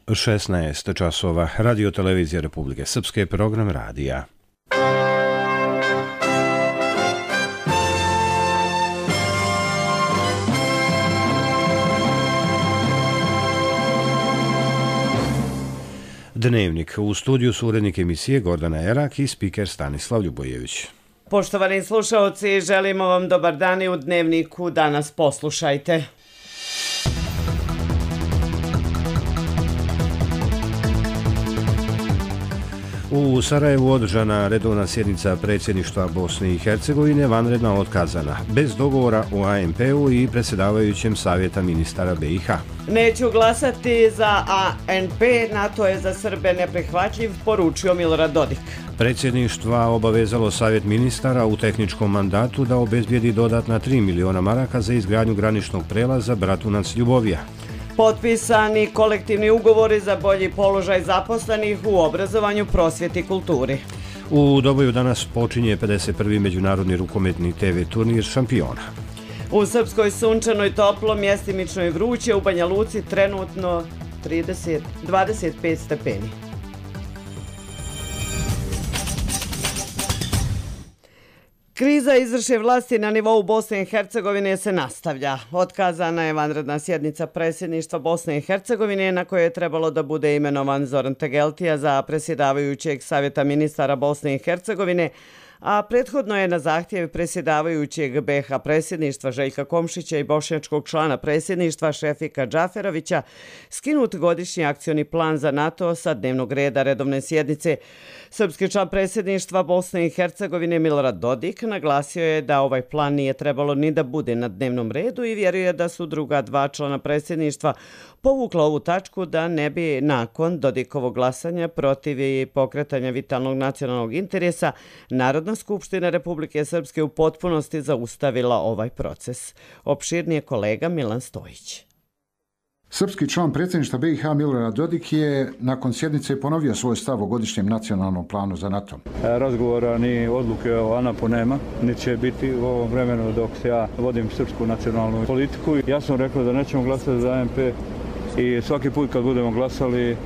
16 časova. Radio televizija Republike Srpske, program radija. Dnevnik. U studiju su urednik emisije Gordana Erak i spiker Stanislav Ljubojević. Poštovani slušaoci, želimo vam dobar dan i u Dnevniku danas poslušajte. U Sarajevu održana redovna sjednica predsjedništva Bosne i Hercegovine, vanredna otkazana, bez dogovora o ANP-u i predsjedavajućem savjeta ministara BiH. Neću glasati za ANP, NATO je za Srbe neprihvatljiv, poručio Milorad Dodik. Predsjedništva obavezalo savjet ministara u tehničkom mandatu da obezbijedi dodatna 3 miliona maraka za izgradnju graničnog prelaza Bratunac-Ljubovija. Potpisani kolektivni ugovori za bolji položaj zaposlenih u obrazovanju, prosvjeti i kulturi. U Doboju danas počinje 51. međunarodni rukometni TV turnir šampiona. U Srpskoj sunčanoj toplo, mjestimično i vruće, u Banja Luci trenutno 25 stepeni. Kriza izvršne vlasti na nivou Bosne i Hercegovine se nastavlja. Otkazana je vanredna sjednica predsjedništva Bosne i Hercegovine na kojoj je trebalo da bude imenovan Zoran Tegeltija za predsjedavajućeg savjeta ministara Bosne i Hercegovine, a prethodno je na zahtjev predsjedavajućeg BiH predsjedništva Željka Komšića i bošnjačkog člana predsjedništva Šefika Džaferovića skinut godišnji akcioni plan za NATO sa dnevnog reda redovne sjednice. Srpski član predsjedništva Bosne i Hercegovine Milorad Dodik naglasio je da ovaj plan nije trebalo ni da bude na dnevnom redu i vjeruje da su druga dva člana predsjedništva povukla ovu tačku da ne bi nakon Dodikovog glasanja protiv i pokretanja vitalnog nacionalnog interesa Narodna skupština Republike Srpske u potpunosti zaustavila ovaj proces. Opširnije kolega Milan Stojić. Srpski član predsjedništva BiH Milorad Dodik je nakon sjednice ponovio svoj stav o godišnjem nacionalnom planu za NATO. Razgovora ni odluke o ANAP-u nema, niti će biti u ovom vremenu dok se ja vodim srpsku nacionalnu politiku. Ja sam rekao da nećemo glasati za ANP i svaki put kad budemo glasali,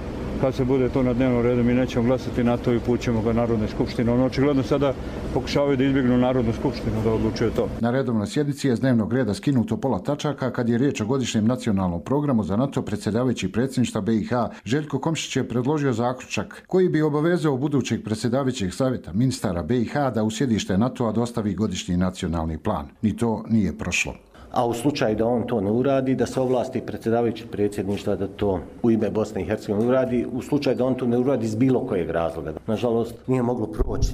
kad se bude to na dnevnom redu, mi nećemo glasati na to i pućemo ga Narodnoj skupštini. Ono očigledno sada pokušavaju da izbjegnu Narodnu skupštinu da odlučuje to. Na redovnoj sjednici je s dnevnog reda skinuto pola tačaka kad je riječ o godišnjem nacionalnom programu za NATO. Predsjedavajući predsjedništva BiH Željko Komšić je predložio zaključak koji bi obavezao budućeg predsjedavajućeg savjeta ministara BiH da u sjedište NATO-a dostavi godišnji nacionalni plan. Ni to nije prošlo. A u slučaju da on to ne uradi, da se ovlasti predsjedavajući predsjedništva da to u ime Bosne i Hercegovine uradi, u slučaju da on to ne uradi iz bilo kojeg razloga. Nažalost, nije moglo proći,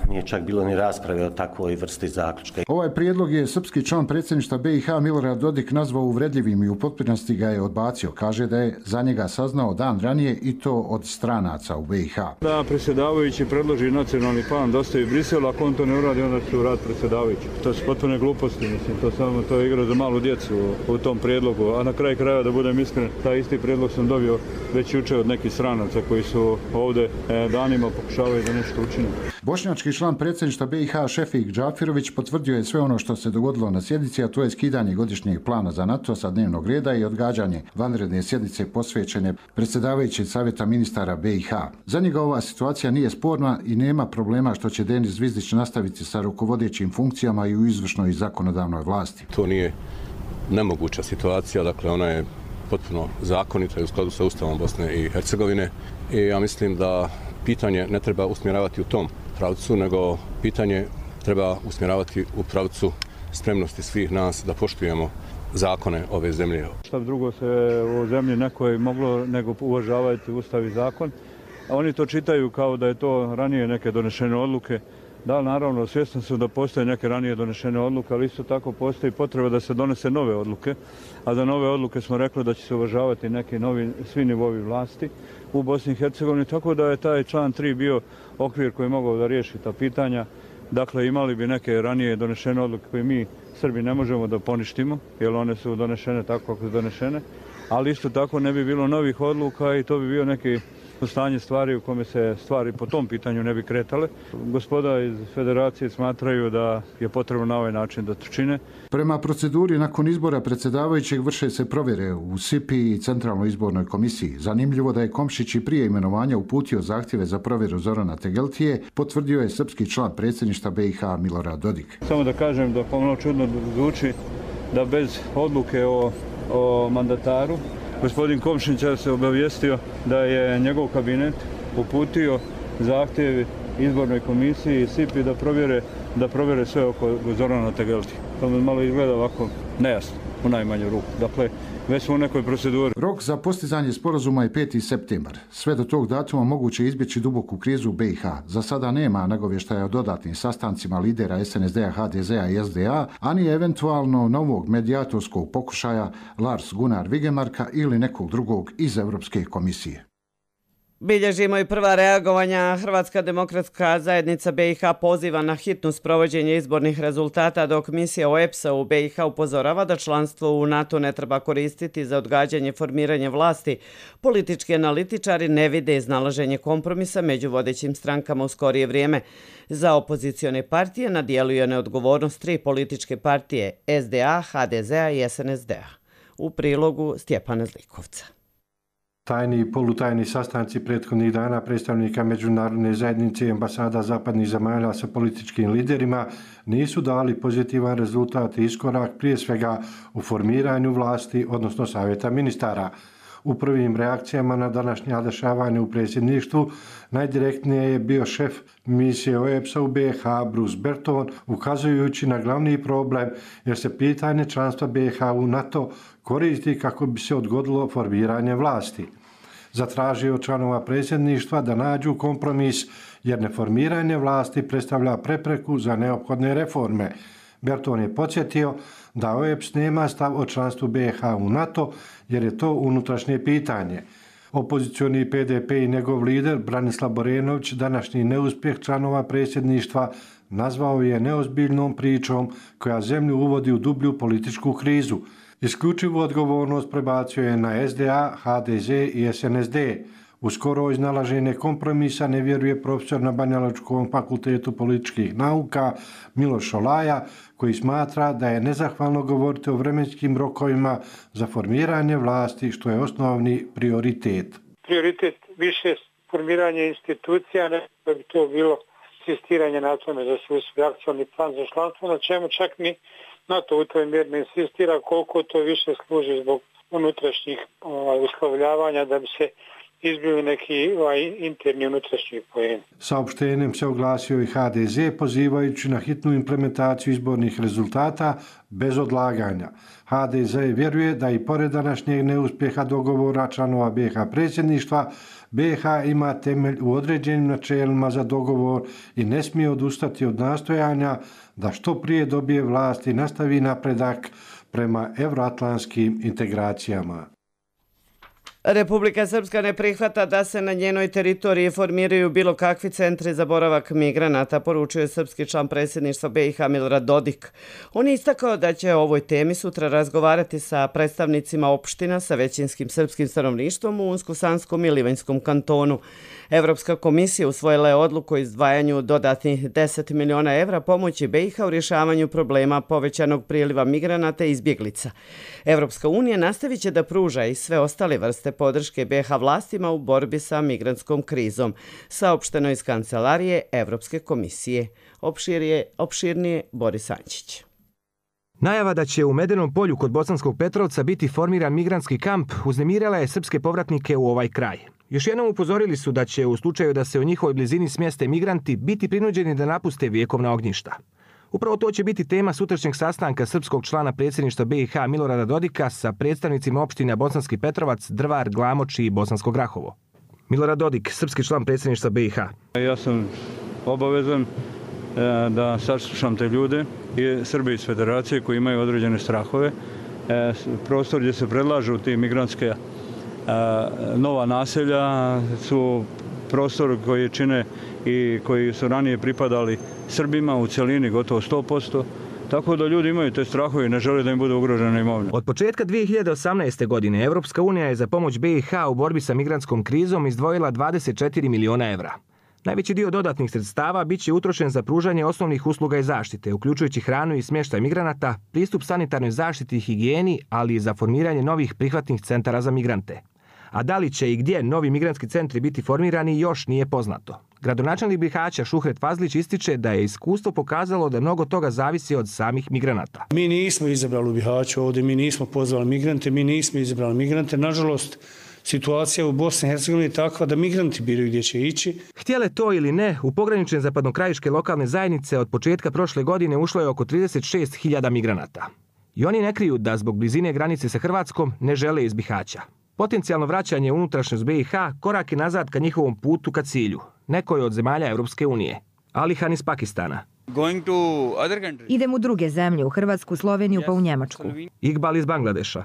nije čak bilo ni rasprave o takvoj vrsti zaključka. Ovaj prijedlog je srpski član predsjedništva BiH Milorad Dodik nazvao uvredljivim i u potpunosti ga je odbacio. Kaže da je za njega saznao dan ranije i to od stranaca u BiH. Da predsjedavajući predloži nacionalni plan, dostavi Brisel, ako on to ne uradi, onda će urad predsjedavajući. To su potpune gluposti, mislim, to je igra za malu djecu u tom prijedlogu, a na kraju krajeva, da budem iskren, taj isti prijedlog sam dobio već jučer od nekih stranaca koji su ovdje danima pokušavaju da nešto učine. Bošnjački član predsjedništva BiH Šefik Džaferović potvrdio je sve ono što se dogodilo na sjednici, a to je skidanje godišnjeg plana za NATO sa dnevnog reda i odgađanje vanredne sjednice posvećene predsjedavajućeg savjeta ministara BiH. Za njega ova situacija nije sporna i nema problema što će Denis Zvizdić nastaviti sa rukovodećim funkcijama i u izvršnoj i zakonodavnoj vlasti. To nije nemoguća situacija, dakle ona je potpuno zakonita i u skladu sa Ustavom Bosne i Hercegovine i ja mislim da pitanje ne treba usmjeravati u tom pravcu, nego pitanje treba usmjeravati u pravcu spremnosti svih nas da poštujemo zakone ove zemlje. Šta drugo se u zemlji nekoj moglo nego uvažavati Ustav i zakon, a oni to čitaju kao da je to ranije neke donešene odluke. Da, naravno, svjesni su da postoje neke ranije donešene odluke, ali isto tako postoji potreba da se donese nove odluke, a za nove odluke smo rekli da će se uvažavati neki svi nivovi vlasti u Bosni i Hercegovini, tako da je taj član 3 bio okvir koji je mogao da riješi ta pitanja. Dakle, imali bi neke ranije donešene odluke koje mi, Srbi, ne možemo da poništimo, jer one su donešene tako kako su donešene, ali isto tako ne bi bilo novih odluka i to bi bio neki stanje stvari u kome se stvari po tom pitanju ne bi kretale. Gospoda iz federacije smatraju da je potrebno na ovaj način da to čine. Prema proceduri, nakon izbora predsjedavajućeg vrše se provjere u SIPI i Centralnoj izbornoj komisiji. Zanimljivo da je Komšić i prije imenovanja uputio zahtjeve za provjeru Zorana Tegeltije, potvrdio je srpski član predsjedništva BiH Milorad Dodik. Samo da kažem da pomalo čudno zvuči da bez odluke o mandataru gospodin Komšić se obavijestio da je njegov kabinet uputio zahtjev izbornoj komisiji i SIPI da provjere sve oko Zorana Tegeltije. To mi malo izgleda ovako nejasno u najmanju ruku. Dakle, već smo u nekoj proceduri. Rok za postizanje sporazuma je 5. septembar. Sve do tog datuma moguće izbjeći duboku krizu u BiH. Za sada nema nagovještaja o dodatnim sastancima lidera SNSD-a, HDZ-a i SDA, ani eventualno novog medijatorskog pokušaja Lars Gunnar Vigemarka ili nekog drugog iz Europske komisije. Bilježimo i prva reagovanja. Hrvatska demokratska zajednica BiH poziva na hitno sprovođenje izbornih rezultata, dok misija OEBS-a u BiH upozorava da članstvo u NATO ne treba koristiti za odgađanje formiranja vlasti. Politički analitičari ne vide iznalaženje kompromisa među vodećim strankama u skorije vrijeme. Za opozicione partije na dijelu je neodgovornost 3 političke partije SDA, HDZ-a i SNSD-a. U prilogu Stjepana Zlikovca. Tajni i polutajni sastanci prethodnih dana predstavnika međunarodne zajednice i ambasada zapadnih zemalja sa političkim liderima nisu dali pozitivan rezultat i iskorak, prije svega u formiranju vlasti, odnosno savjeta ministara. U prvim reakcijama na današnja dešavanja u predsjedništvu najdirektnije je bio šef misije OEBS-a u BiH Bruce Berton, ukazujući na glavni problem jer se pitanje članstva BiH u NATO koristi kako bi se odgodilo formiranje vlasti. Zatražio članova predsjedništva da nađu kompromis jer neformiranje vlasti predstavlja prepreku za neophodne reforme. Berton je podsjetio da OEBS nema stav o članstvu BiH u NATO jer je to unutrašnje pitanje. Opozicioni PDP i njegov lider Branislav Borenović današnji neuspjeh članova predsjedništva nazvao je neozbiljnom pričom koja zemlju uvodi u dublju političku krizu. Isključivu odgovornost prebacio je na SDA, HDZ i SNSD. U skoro iznalaženje kompromisa ne vjeruje profesor na Banjalučkom fakultetu političkih nauka Miloš Šolaja, koji smatra da je nezahvalno govoriti o vremenskim rokovima za formiranje vlasti, što je osnovni prioritet. Prioritet više formiranje institucija, ne da bi to bilo insistiranje na tome da se usvoji akcioni plan za članstvo, na čemu čak ni NATO u toj mjeri ne insistira, koliko to više služi zbog unutrašnjih uslovljavanja da bi se izbili neki interni unutrašnji poeni. Saopštenjem se oglasio i HDZ pozivajući na hitnu implementaciju izbornih rezultata bez odlaganja. HDZ vjeruje da i pored današnjeg neuspjeha dogovora članova BiH predsjedništva, BiH ima temelj u određenim načelima za dogovor i ne smije odustati od nastojanja da što prije dobije vlast i nastavi napredak prema evroatlantskim integracijama. Republika Srpska ne prihvata da se na njenoj teritoriji formiraju bilo kakvi centri za boravak migranata, poručuje srpski član predsjedništva BiH Milorad Dodik. On je istakao da će o ovoj temi sutra razgovarati sa predstavnicima opština sa većinskim srpskim stanovništvom u Unsko-Sanskom i Livanjskom kantonu. Evropska komisija usvojila je odluku o izdvajanju dodatnih 10 miliona evra pomoći BiH u rješavanju problema povećanog priliva migranata i izbjeglica. Evropska unija nastavit će da pruža i sve ostale vrste podrške BiH vlastima u borbi sa migrantskom krizom, saopšteno iz kancelarije Evropske komisije. Opširnije Boris Ančić. Najava da će u Medenom polju kod Bosanskog Petrovca biti formiran migrantski kamp uznemirala je srpske povratnike u ovaj kraj. Još jednom upozorili su da će u slučaju da se u njihovoj blizini smjeste migranti biti prinuđeni da napuste vjekovna ognjišta. Upravo to će biti tema sutrašnjeg sastanka srpskog člana predsjedništva BiH Milorada Dodika sa predstavnicima opština Bosanski Petrovac, Drvar, Glamoč i Bosansko Grahovo. Milorad Dodik, srpski član predsjedništva BiH. Ja sam obavezan da saslušam te ljude i Srbi iz Federacije koji imaju određene strahove. Prostor gdje se predlažu ti migrantske nova naselja su prostor koji čine i koji su ranije pripadali Srbima u cjelini gotovo 100%. Tako da ljudi imaju te strahove i ne žele da im bude ugrožena imovina. Od početka 2018. godine Evropska unija je za pomoć BiH u borbi sa migrantskom krizom izdvojila 24 miliona evra. Najveći dio dodatnih sredstava bit će utrošen za pružanje osnovnih usluga i zaštite, uključujući hranu i smještaj migranata, pristup sanitarnoj zaštiti i higijeni, ali i za formiranje novih prihvatnih centara za migrante. A da li će i gdje novi migrantski centri biti formirani još nije poznato. Gradonačelnik Bihaća Šuhret Fazlić ističe da je iskustvo pokazalo da mnogo toga zavisi od samih migranata. Mi nismo izabrali u Bihaću ovdje, mi nismo pozvali migrante, mi nismo izabrali migrante. Nažalost, situacija u Bosni i Hercegovini je takva da migranti biraju gdje će ići. Htjele to ili ne, u pogranične zapadnokrajiške lokalne zajednice od početka prošle godine ušlo je oko 36.000 migranata. I oni ne kriju da zbog blizine granice sa Hrvatskom ne žele iz Bihaća. Potencijalno vraćanje u unutrašnjost BiH korak je nazad ka njihovom putu ka cilju, nekoj od zemalja Europske unije. Alihan iz Pakistana. Idem u druge zemlje, u Hrvatsku, Sloveniju pa u Njemačku. Iqbal iz Bangladeša.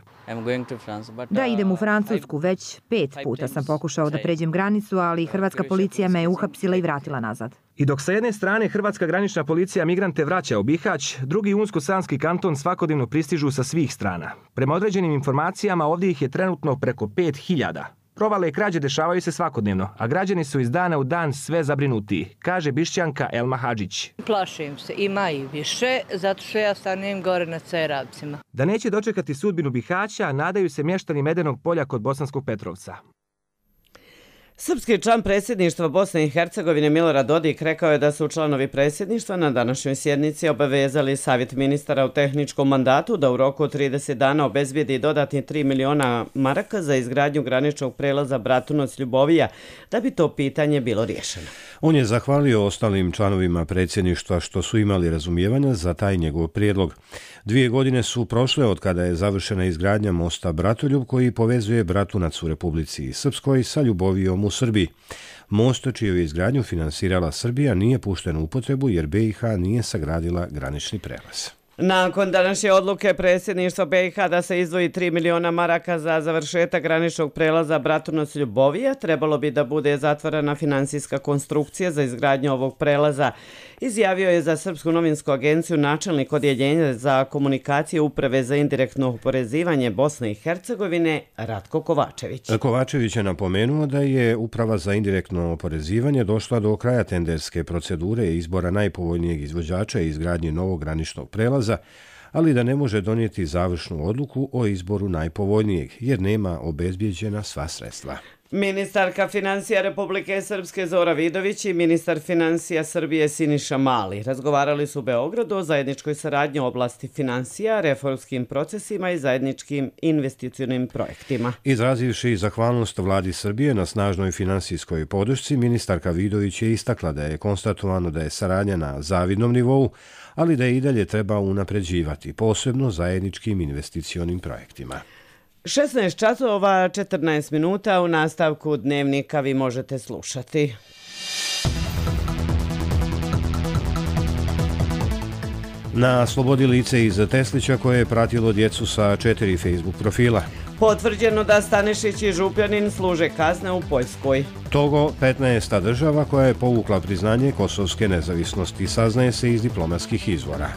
Da, idem u Francusku, već 5 puta sam pokušao da pređem granicu, ali hrvatska policija me je uhapsila i vratila nazad. I dok sa jedne strane hrvatska granična policija migrante vraća u Bihać, drugi Unsko-Sanski kanton svakodnevno pristižu sa svih strana. Prema određenim informacijama ovdje ih je trenutno preko 5.000. Provale i krađe dešavaju se svakodnevno, a građani su iz dana u dan sve zabrinutiji, kaže Bišćanka Elma Hadžić. Plašim se, ima i više, zato što ja stanem gore na Cerabcima. Da neće dočekati sudbinu Bihaća, nadaju se mještani Medenog polja kod Bosanskog Petrovca. Srpski član predsjedništva Bosne i Hercegovine Milorad Dodik rekao je da su članovi predsjedništva na današnjoj sjednici obavezali Savjet ministara u tehničkom mandatu da u roku od 30 dana obezbijedi dodatni 3 miliona maraka za izgradnju graničnog prelaza Bratunac-Ljubovija, da bi to pitanje bilo riješeno. On je zahvalio ostalim članovima predsjedništva što su imali razumijevanja za taj njegov prijedlog. 2 godine su prošle od kada je završena izgradnja mosta Bratoljub koji povezuje Bratunac u Republici Srpskoj sa Ljubovijom u Srbiji. Most čiju je izgradnju finansirala Srbija nije pušten u upotrebu jer BiH nije sagradila granični prelaz. Nakon današnje odluke predsjedništva BiH da se izdvoji 3 miliona maraka za završetak graničnog prelaza Bratunac-Ljubovija, trebalo bi da bude zatvorena finansijska konstrukcija za izgradnju ovog prelaza, izjavio je za Srpsku novinsku agenciju načelnik odjeljenja za komunikacije Uprave za indirektno oporezivanje Bosne i Hercegovine Ratko Kovačević. Kovačević je napomenuo da je Uprava za indirektno oporezivanje došla do kraja tenderske procedure izbora najpovoljnijeg izvođača i izgradnje novog graničnog prelaza, ali da ne može donijeti završnu odluku o izboru najpovoljnijeg, jer nema obezbijeđena sva sredstva. Ministarka financija Republike Srpske Zora Vidović i ministar financija Srbije Siniša Mali razgovarali su u Beogradu o zajedničkoj saradnji u oblasti financija, reformskim procesima i zajedničkim investicionim projektima. Izrazivši zahvalnost vladi Srbije na snažnoj finansijskoj podršci, ministarka Vidović je istakla da je konstatovano da je saradnja na zavidnom nivou, ali da je i dalje treba unapređivati, posebno zajedničkim investicionim projektima. 16 časova 14 minuta u nastavku dnevnika vi možete slušati. Na slobodi lice iz Teslića koje je pratilo djecu sa 4 Facebook profila. Potvrđeno da Stanišić i Župljanin služe kazne u Poljskoj. Togo, 15. država koja je povukla priznanje kosovske nezavisnosti, saznaje se iz diplomatskih izvora.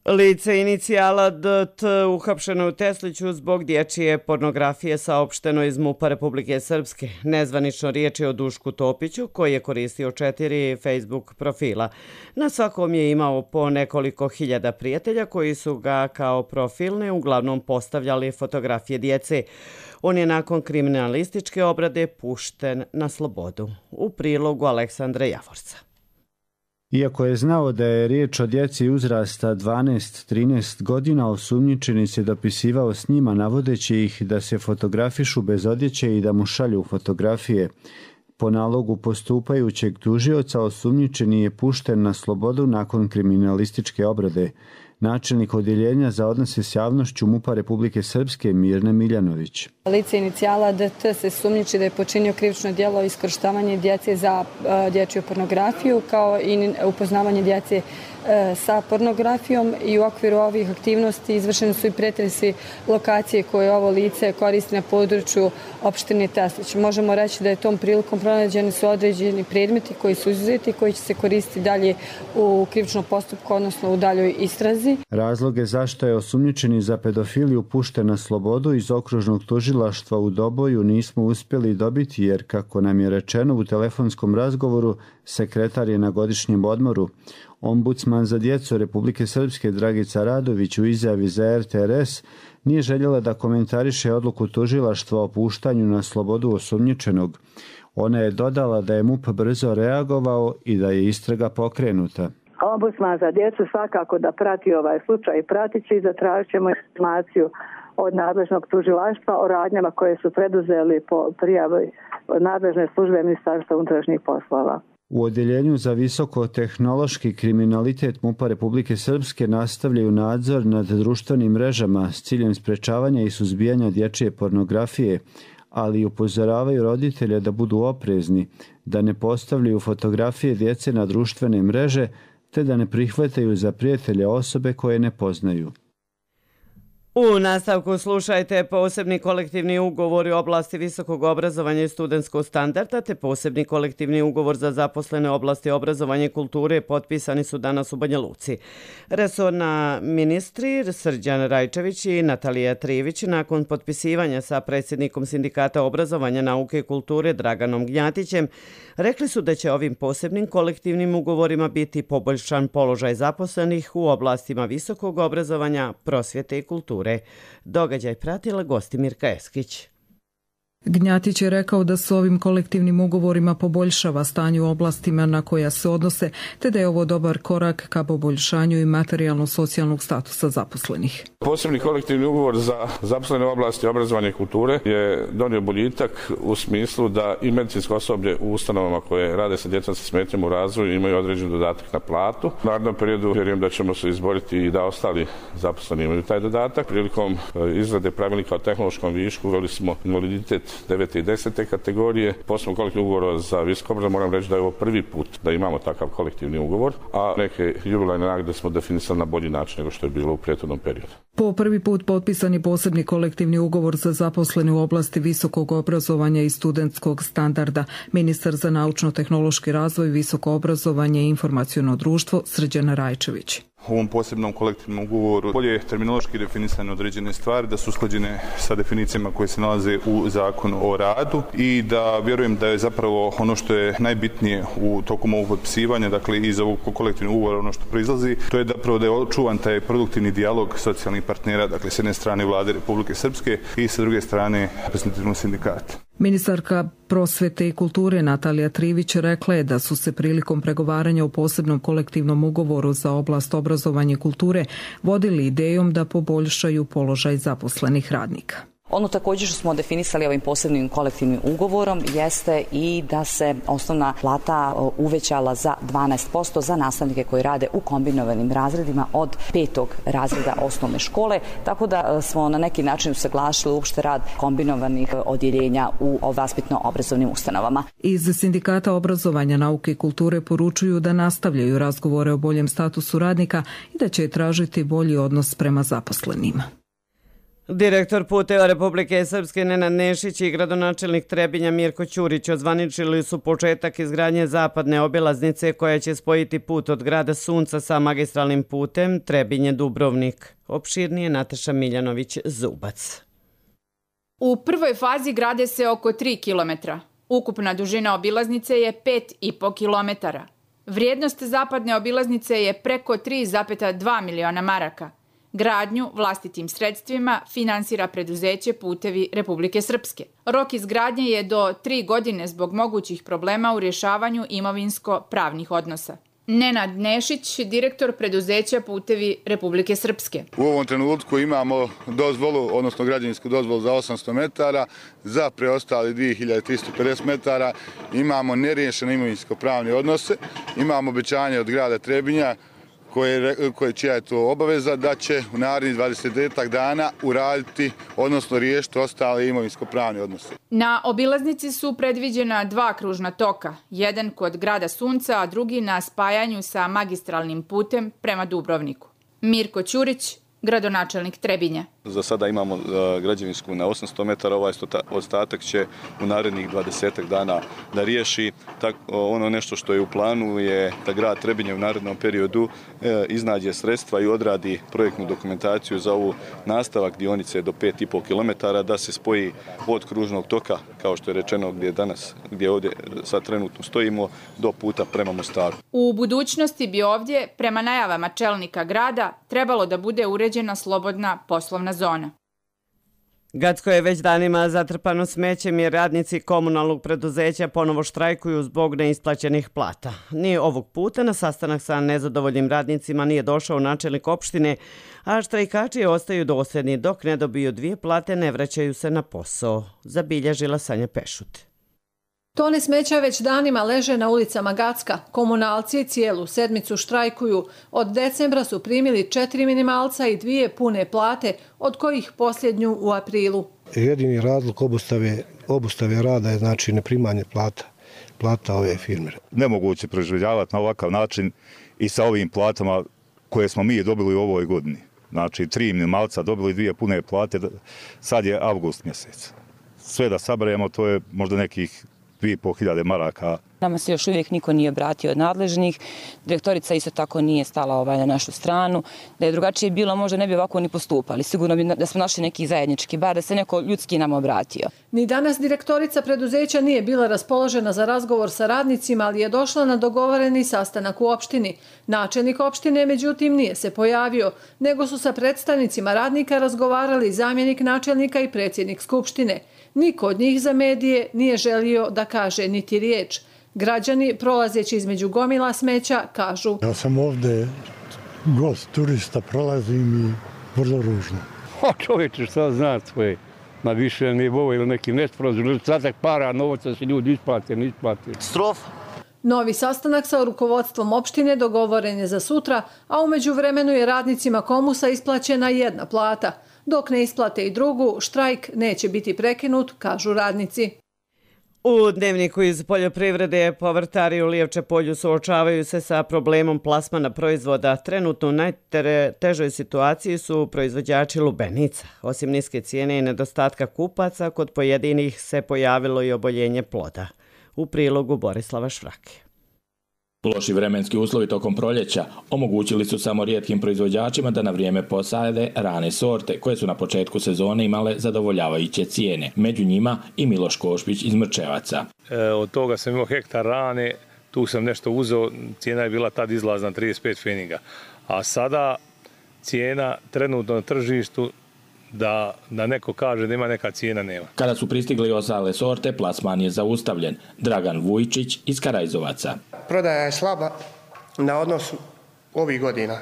Lice inicijala DT uhapšeno u Tesliću zbog dječje pornografije, saopšteno iz MUP-a Republike Srpske. Nezvanično riječ je o Dušku Topiću koji je koristio 4 Facebook profila. Na svakom je imao po nekoliko hiljada prijatelja koji su ga kao profilne uglavnom postavljali fotografije djece. On je nakon kriminalističke obrade pušten na slobodu. U prilogu Aleksandra Javorca. Iako je znao da je riječ o djeci uzrasta 12-13 godina, osumnjičeni se dopisivao s njima navodeći ih da se fotografišu bez odjeće i da mu šalju fotografije. Po nalogu postupajućeg tužioca osumnjičeni je pušten na slobodu nakon kriminalističke obrade. Načelnik odjeljenja za odnose s javnošću MUP-a Republike Srpske Mirne Miljanović. Lice inicijala DT se sumnjiči da je počinio krivično djelo iskorištavanje djece za dječju pornografiju, kao i upoznavanje djece sa pornografijom, i u okviru ovih aktivnosti izvršeni su i pretresi lokacije koje ovo lice koristi na području opštine Teslić. Možemo reći da je tom prilikom pronađeni su određeni predmeti koji su izuzeti, koji će se koristiti dalje u krivičnom postupku, odnosno u daljoj istrazi. Razloge zašto je osumnjičeni za pedofiliju pušten na slobodu iz okružnog tužilaštva u Doboju nismo uspjeli dobiti, jer kako nam je rečeno u telefonskom razgovoru, sekretar je na godišnjem odmoru. Ombudsman za djecu Republike Srpske Dragica Radović u izjavi za RTRS nije željela da komentariše odluku tužilaštva o puštanju na slobodu osumnjičenog. Ona je dodala da je MUP brzo reagovao i da je istraga pokrenuta. Ombudsman za djecu svakako da prati ovaj slučaj i pratit će i zatražit ćemo informaciju od nadležnog tužilaštva o radnjama koje su preduzeli po prijavi nadležne službe Ministarstva unutrašnjih poslova. U Odjeljenju za visokotehnološki kriminalitet MUP-a Republike Srpske nastavljaju nadzor nad društvenim mrežama s ciljem sprečavanja i suzbijanja dječje pornografije, ali upozoravaju roditelje da budu oprezni, da ne postavljaju fotografije djece na društvene mreže, te da ne prihvataju za prijatelje osobe koje ne poznaju. U nastavku slušajte posebni kolektivni ugovor u oblasti visokog obrazovanja i studentskog standarda te posebni kolektivni ugovor za zaposlene u oblasti obrazovanja i kulture potpisani su danas u Banja Luci. Resorna ministri Srđan Rajčević i Natalija Trivić nakon potpisivanja sa predsjednikom Sindikata obrazovanja, nauke i kulture Draganom Gnjatićem rekli su da će ovim posebnim kolektivnim ugovorima biti poboljšan položaj zaposlenih u oblastima visokog obrazovanja, prosvjete i kulture. Događaj pratila Gostimirka Eskić. Gnjatić je rekao da se ovim kolektivnim ugovorima poboljšava stanje u oblastima na koja se odnose, te da je ovo dobar korak ka poboljšanju i materijalno-socijalnog statusa zaposlenih. Posebni kolektivni ugovor za zaposlene u oblasti obrazovanja i kulture je donio boljitak u smislu da i medicinsko osoblje u ustanovama koje rade sa djecom sa smetnjama u razvoju imaju određen dodatak na platu. U narednom periodu vjerujem da ćemo se izboriti i da ostali zaposleni imaju taj dodatak. Prilikom izrade pravilnika o tehnološkom višku uveli smo invaliditet 9. i 10. kategorije. Posebno kolektivni ugovor za visoko obrazovanje, moram reći da je ovo prvi put da imamo takav kolektivni ugovor, a neke jubilarne nagrade smo definisali na bolji način nego što je bilo u prethodnom periodu. Po prvi put potpisan je posebni kolektivni ugovor za zaposlene u oblasti visokog obrazovanja i studentskog standarda. Ministar za naučno-tehnološki razvoj, visoko obrazovanje i informaciono društvo Srđan Rajčević. U ovom posebnom kolektivnom ugovoru bolje je terminološki definisane određene stvari, da su usklađene sa definicijama koje se nalaze u zakonu o radu i da vjerujem da je zapravo ono što je najbitnije u tokom ovog potpisivanja, dakle iz ovog kolektivnog ugovora ono što proizlazi, to je zapravo da je očuvan taj produktivni dijalog socijalnih partnera, dakle s jedne strane Vlade Republike Srpske i sa druge strane reprezentativnog sindikata. Ministarka prosvjete i kulture Natalija Trivić rekla je da su se prilikom pregovaranja o posebnom kolektivnom ugovoru za oblast obrazovanja i kulture vodili idejom da poboljšaju položaj zaposlenih radnika. Ono također što smo definisali ovim posebnim kolektivnim ugovorom jeste i da se osnovna plata uvećala za 12% za nastavnike koji rade u kombinovanim razredima od 5. razreda osnovne škole, tako da smo na neki način usaglasili uopšte rad kombinovanih odjeljenja u vaspitno-obrazovnim ustanovama. Iz Sindikata obrazovanja, nauke i kulture poručuju da nastavljaju razgovore o boljem statusu radnika i da će tražiti bolji odnos prema zaposlenima. Direktor Puteva Republike Srpske Nenad Nešić i gradonačelnik Trebinja Mirko Ćurić ozvaničili su početak izgradnje zapadne obilaznice koja će spojiti put od grada Sunca sa magistralnim putem Trebinje-Dubrovnik. Opširnije Nataša Miljanović-Zubac. U prvoj fazi grade se oko 3 km. Ukupna dužina obilaznice je 5,5 km. Vrijednost zapadne obilaznice je preko 3,2 miliona maraka. Gradnju vlastitim sredstvima finansira preduzeće Putevi Republike Srpske. Rok izgradnje je do 3 godine zbog mogućih problema u rješavanju imovinsko-pravnih odnosa. Nenad Nešić, direktor preduzeća Putevi Republike Srpske. U ovom trenutku imamo dozvolu, odnosno građevinsku dozvolu za 800 metara, za preostali 2350 metara imamo neriješene imovinsko-pravne odnose, imamo obećanje od grada Trebinja čija je to obaveza, da će u narednih 20 dana uraditi, odnosno riješiti ostale imovinsko-pravne odnose. Na obilaznici su predviđena 2 kružna toka, jedan kod grada Sunca, a drugi na spajanju sa magistralnim putem prema Dubrovniku. Mirko Ćurić, gradonačelnik Trebinja. Za sada imamo građevinsku na 800 metara, ovaj ostatak će u narednih 20 dana da riješi. Ono nešto što je u planu je da grad Trebinje u narednom periodu iznađe sredstva i odradi projektnu dokumentaciju za ovu nastavak dionice do 5,5 km, da se spoji od kružnog toka, kao što je rečeno gdje ovdje sad trenutno stojimo, do puta prema Mostaru. U budućnosti bi ovdje, prema najavama čelnika grada, trebalo da bude uređena slobodna poslovna zona. Gacko je već danima zatrpano smećem jer radnici komunalnog preduzeća ponovo štrajkuju zbog neisplaćenih plata. Ni ovog puta na sastanak sa nezadovoljnim radnicima nije došao načelnik opštine, a štrajkači ostaju dosljedni dok ne dobiju 2 plate, ne vraćaju se na posao, zabilježila Sanja Pešut. Tone smeća već danima leže na ulicama Gacka. Komunalci cijelu sedmicu štrajkuju. Od decembra su primili 4 minimalca i 2 pune plate, od kojih posljednju u aprilu. Jedini razlog obustave rada je znači neprimanje plata ove firme. Nemoguće preživljavati na ovakav način i sa ovim platama koje smo mi dobili u ovoj godini. Znači 3 minimalca dobili 2 pune plate, sad je avgust mjesec. Sve da saberemo, to je možda nekih 2.500 maraka. Nama se još uvijek niko nije obratio od nadležnih. Direktorica isto tako nije stala na našu stranu. Da je drugačije bilo, možda ne bi ovako ni postupali. Sigurno bi da smo našli neki zajednički bar, da se neko ljudski nam obratio. Ni danas direktorica preduzeća nije bila raspoložena za razgovor sa radnicima, ali je došla na dogovoreni sastanak u opštini. Načelnik opštine, međutim, nije se pojavio, nego su sa predstavnicima radnika razgovarali zamjenik načelnika i predsjednik skupštine. Niko od njih za medije nije želio da kaže niti riječ. Građani, prolazeći između gomila smeća, kažu: Ja sam ovdje gost, turista, prolazim i vrlo ružno. Čovječe, šta zna svoje, na više nivou ili neki nesporazum, stratak para, novaca se ljudi isplate, ne isplate. Strofa. Novi sastanak sa rukovodstvom opštine dogovoren je za sutra, a u međuvremenu je radnicima Komusa isplaćena 1 plata. Dok ne isplate i drugu, štrajk neće biti prekinut, kažu radnici. U Dnevniku iz poljoprivrede povrtari u Lijevče polju suočavaju se sa problemom plasmana proizvoda. Trenutno u najtežoj situaciji su proizvođači lubenica. Osim niske cijene i nedostatka kupaca, kod pojedinih se pojavilo i oboljenje ploda. U prilogu Borislava Švrake. Loši vremenski uslovi tokom proljeća omogućili su samo rijetkim proizvođačima da na vrijeme posade rane sorte koje su na početku sezone imale zadovoljavajuće cijene. Među njima i Miloš Košpić iz Mrčevaca. Od toga sam imao hektar rane, tu sam nešto uzeo, cijena je bila tad izlazna 35 feninga. A sada cijena trenutno na tržištu da neko kaže da ima neka cijena, nema. Kada su pristigli ostale sorte, plasman je zaustavljen. Dragan Vujčić iz Karajzovaca. Prodaja je slaba na odnosu ovih godina,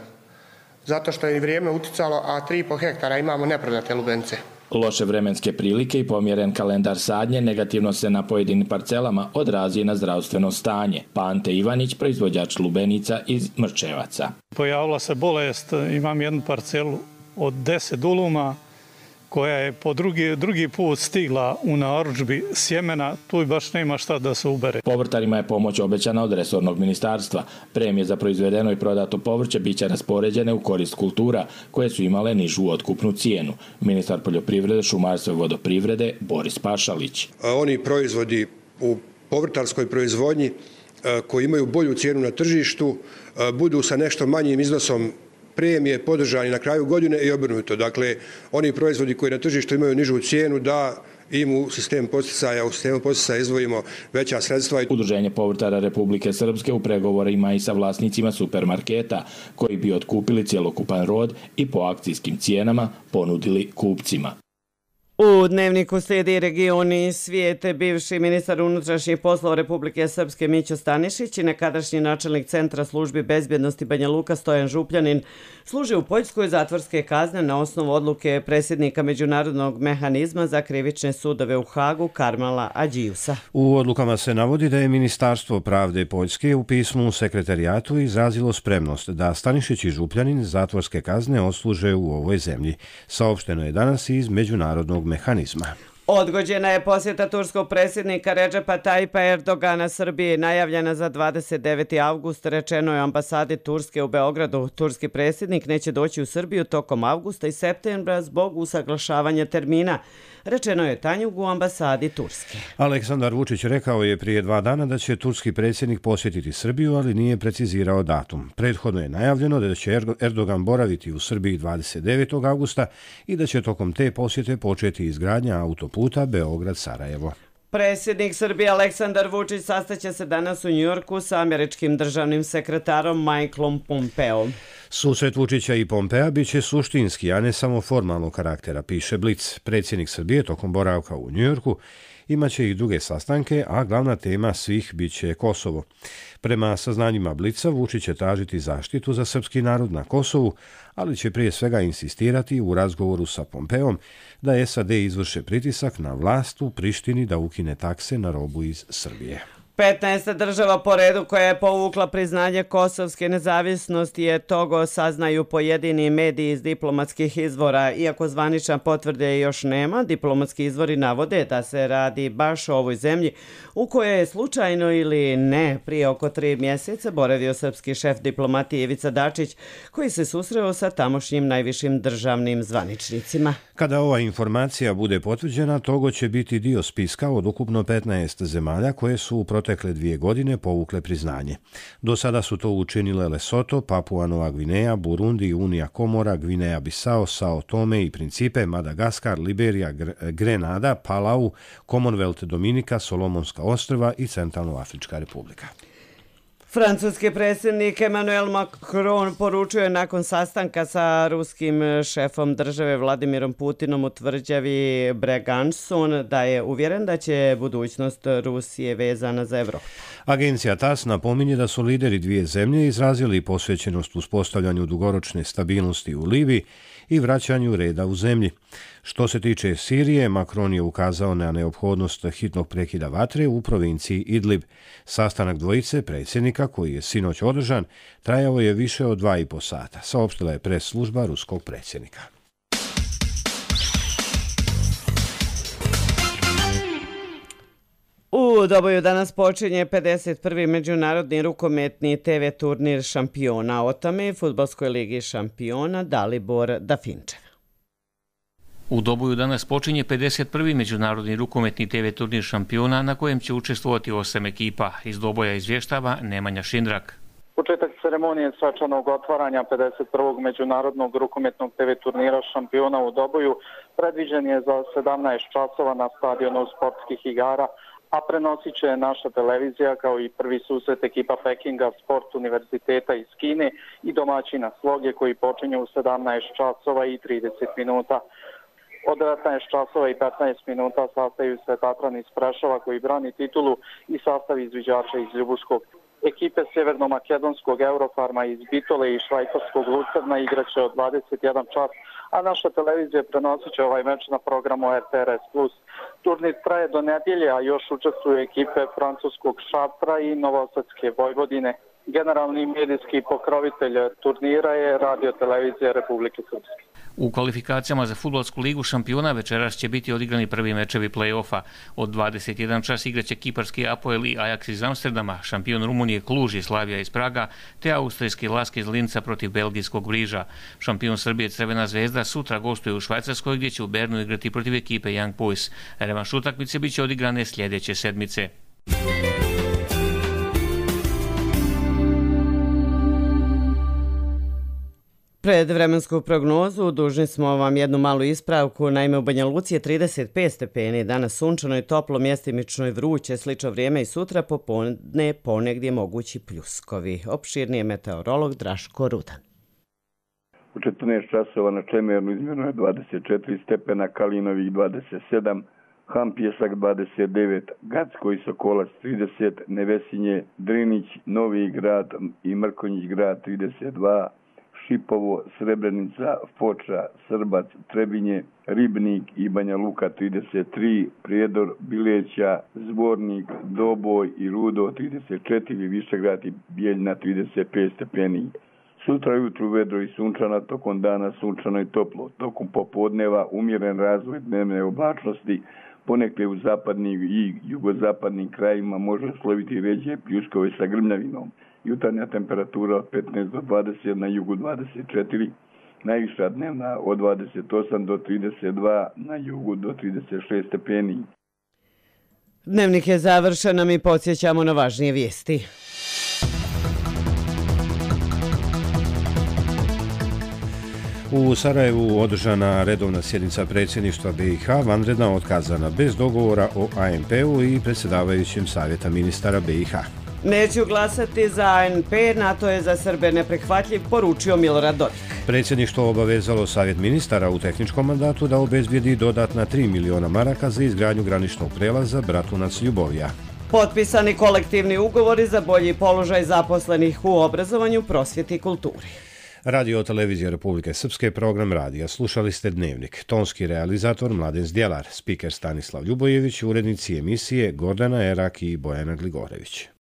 zato što je vrijeme uticalo, a 3,5 hektara imamo neprodate lubenice. Loše vremenske prilike i pomjeren kalendar sadnje negativno se na pojedinim parcelama odrazi na zdravstveno stanje. Ante Ivanić, proizvođač lubenica iz Mrčevaca. Pojavila se bolest, imam jednu parcelu od 10 duluma, koja je po drugi put stigla u narudžbi sjemena, tu baš nema šta da se ubere. Povrtarima je pomoć obećana od resornog ministarstva. Premije za proizvedeno i prodato povrće biće raspoređene u korist kultura koje su imale nižu otkupnu cijenu. Ministar poljoprivrede, šumarstva i vodoprivrede Boris Pašalić. Oni proizvodi u povrtarskoj proizvodnji koji imaju bolju cijenu na tržištu budu sa nešto manjim iznosom premije podržani na kraju godine i obrnuto. Dakle, oni proizvodi koji na tržištu imaju nižu cijenu da im u sistemu poticaja izdvojimo veća sredstva. Udruženje povrtara Republike Srpske u pregovorima i sa vlasnicima supermarketa koji bi otkupili cjelokupan rod i po akcijskim cijenama ponudili kupcima. U Dnevniku slijedi Region i svijet. Bivši ministar unutrašnjih poslova Republike Srpske Mićo Stanišić i nekadašnji načelnik Centra službi bezbjednosti Banja Luka Stojan Župljanin služe u Poljskoj zatvorske kazne na osnovu odluke predsjednika Međunarodnog mehanizma za krivične sudove u Hagu Karmala Adžiusa. U odlukama se navodi da je Ministarstvo pravde Poljske u pismu sekretarijatu izrazilo spremnost da Stanišić i Župljanin zatvorske kazne odsluže u ovoj zemlji. Saopšteno je danas iz Međunarodnog mehanizma. Odgođena je posjeta turskog predsjednika Redžepa Tajipa Erdogana Srbiji, najavljena za 29. avgust, rečeno je ambasadi Turske u Beogradu. Turski predsjednik neće doći u Srbiju tokom avgusta i septembra zbog usaglašavanja termina, rečeno je Tanjug u ambasadi Turske. Aleksandar Vučić rekao je prije 2 dana da će turski predsjednik posjetiti Srbiju, ali nije precizirao datum. Prethodno je najavljeno da će Erdogan boraviti u Srbiji 29. avgusta i da će tokom te posjete početi izgradnja autoputa Beograd-Sarajevo. Predsjednik Srbije Aleksandar Vučić sastaće se danas u Njujorku sa američkim državnim sekretarom Michaelom Pompeom. Susret Vučića i Pompea biće suštinski, a ne samo formalnog karaktera, piše Blic. Predsjednik Srbije tokom boravka u Njujorku imaće i druge sastanke, a glavna tema svih biće Kosovo. Prema saznanjima Blica, Vučić će tražiti zaštitu za srpski narod na Kosovu, ali će prije svega insistirati u razgovoru sa Pompeom da SAD izvrše pritisak na vlast u Prištini da ukine takse na robu iz Srbije. 15 država po redu koja je povukla priznanje kosovske nezavisnosti je Togo, saznaju pojedini mediji iz diplomatskih izvora. Iako zvanična potvrde još nema, diplomatski izvori navode da se radi baš o ovoj zemlji u kojoj je slučajno ili ne prije oko 3 mjeseca boravio srpski šef diplomatije Ivica Dačić, koji se susreo sa tamošnjim najvišim državnim zvaničnicima. Kada ova informacija bude potvrđena, Togo će biti dio spiska od ukupno 15 zemalja koje su u protekle 2 godine povukle priznanje. Do sada su to učinile Lesoto, Papua Nova Gvineja, Burundi, Unija Komora, Gvineja Bisao, Sao Tome i Principe, Madagaskar, Liberija, Grenada, Palau, Commonwealth Dominika, Solomonska ostrva i Centralnoafrička republika. Francuski predsjednik Emmanuel Macron poručio je nakon sastanka sa ruskim šefom države Vladimirom Putinom u tvrđavi Bregançon da je uvjeren da će budućnost Rusije vezana za Evropu. Agencija TASS napominje da su lideri 2 zemlje izrazili posvećenost uspostavljanju dugoročne stabilnosti u Libiji i vraćanju reda u zemlji. Što se tiče Sirije, Macron je ukazao na neophodnost hitnog prekida vatre u provinciji Idlib. Sastanak dvojice predsjednika, koji je sinoć održan, trajao je više od 2,5 sata, saopštila je pres služba ruskog predsjednika. U Doboju danas počinje 51. međunarodni rukometni TV turnir šampiona, o tome Fudbalskoj ligi šampiona Dalibor Dafinčev. U Doboju danas počinje 51. međunarodni rukometni TV turnir šampiona na kojem će učestvovati 8 ekipa. Iz Doboja izvještava Nemanja Šindrak. Početak ceremonije svečanog otvaranja 51. međunarodnog rukometnog TV turnira šampiona u Doboju predviđen je za 17 časova na stadionu sportskih igara, a prenosit će naša televizija kao i prvi susret ekipa Pekinga Sport univerziteta iz Kine i domaćina Sloge koji počinje u 17 časova i 30 minuta. Od 19 časova i 15 minuta sastaju se Tatran iz Prešova koji brani titulu i sastav izviđača iz Ljubuškog. Ekipe Sjeverno-makedonskog Eurofarma iz Bitole i švajcarskog Lucerna igraće od 21 čas, a naša televizija prenosit će ovaj meč na programu RTRS+. Turnir traje do nedjelje, a još učestvuju ekipe francuskog Šatra i Novosadske Vojvodine. Generalni medijski pokrovitelj turnira je Radio televizija Republike Srpske. U kvalifikacijama za Fudbalsku ligu šampiona večeras će biti odigrani prvi mečevi play-offa. Od 21 čas igraće kiparski Apoel i Ajax iz Amsterdama, šampion Rumunije Kluž i Slavija iz Praga, te austrijski Lask iz Linca protiv belgijskog Briža. Šampion Srbije Crvena zvezda sutra gostuje u Švajcarskoj gdje će u Bernu igrati protiv ekipe Young Boys. Revanš utakmice biće odigrane sljedeće sedmice. Pred vremensku prognozu dužni smo vam jednu malu ispravku. Naime, u Banja Luci je 35 stepeni, danas sunčano i toplo, mjestimično i vruće, slično vrijeme i sutra popodne ponegdje mogući pljuskovi. Opširniji je meteorolog Draško Rudan. U 14 časova na Čemernu izmjereno je 24 stepena, Kalinovih 27, Hampjesak 29, Gacko i Sokolac 30, Nevesinje, Drinić, Novi Grad i Mrkonjić Grad 32, Šipovo, Srebrenica, Foča, Srbac, Trebinje, Ribnik i Banja Luka 33, Prijedor, Bileća, Zvornik, Doboj i Rudo 34, Višegrad i Bijeljna 35 stepeni. Sutra jutru vedro i sunčana, tokom dana sunčano i toplo, tokom popodneva umjeren razvoj dnevne oblačnosti, ponekle u zapadnim i jugozapadnim krajima može sloviti ređe pljuskove sa grmljavinom. Jutarnja temperatura od 15 do 20, na jugu 24, najviša dnevna od 28 do 32, na jugu do 36 stepeni. Dnevnik je završen, a mi podsjećamo na važnije vijesti. U Sarajevu održana redovna sjednica predsjedništva BiH, vanredna otkazana bez dogovora o ANP-u i predsjedavajućem savjeta ministara BiH. Neću glasati za ANP, NATO je za Srbe neprihvatljiv, poručio Milorad Dodik. Predsjedništvo obavezalo savjet ministara u tehničkom mandatu da obezbijedi dodatna 3 miliona maraka za izgradnju graničnog prelaza Bratunac-Ljubovija. Potpisani kolektivni ugovori za bolji položaj zaposlenih u obrazovanju, prosvjeti i kulturi. Radio televizija Republike Srpske, program radija. Slušali ste Dnevnik. Tonski realizator Mladen Zdjelar, spiker Stanislav Ljubojević, urednici emisije Gordana Erak i Bojana Gligorević.